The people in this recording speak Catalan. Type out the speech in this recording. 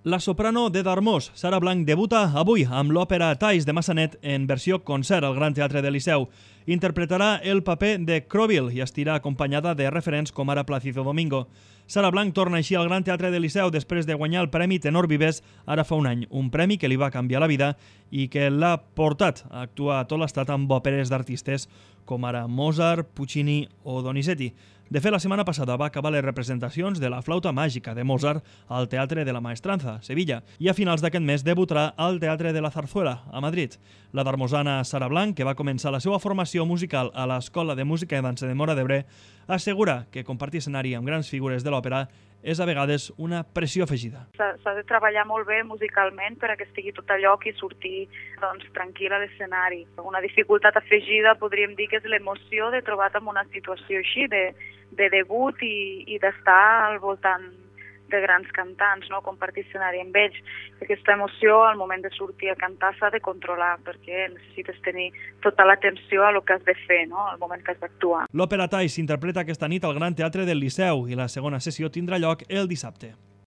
La soprano de Darmós, Sara Blanc, debuta avui amb l'òpera Thais de Massanet en versió concert al Gran Teatre del Liceu. Interpretarà el paper de Crowville i estirà acompanyada de referents com ara Plácido Domingo. Sara Blanc torna així al Gran Teatre del Liceu després de guanyar el Premi Tenor Vives ara fa un any, un premi que li va canviar la vida i que l'ha portat a actuar a tot l'estat amb òperes d'artistes com ara Mozart, Puccini o Donizetti. De fet, la setmana passada va acabar les representacions de la flauta màgica de Mozart al Teatre de la Maestranza, Sevilla, i a finals d'aquest mes debutarà al Teatre de la Zarzuela, a Madrid. La darmosana Sara Blanc, que va començar la seva formació musical a l'Escola de Música i Dansa de Móra d'Ebre, assegura que compartir escenari amb grans figures de l'òpera és a vegades una pressió afegida. S'ha de treballar molt bé musicalment per a que estigui tot a lloc i sortir tranquil a l'escenari. Una dificultat afegida podríem dir que és l'emoció de trobar-te en una situació així, de debut i d'estar al voltant de grans cantants, no? Compartir escenari amb ells. Aquesta emoció al moment de sortir a cantar s'ha de controlar perquè necessites tenir tota l'atenció a el que has de fer, no? Al moment que has d'actuar. L'òpera Thais s'interpreta aquesta nit al Gran Teatre del Liceu i la segona sessió tindrà lloc el dissabte.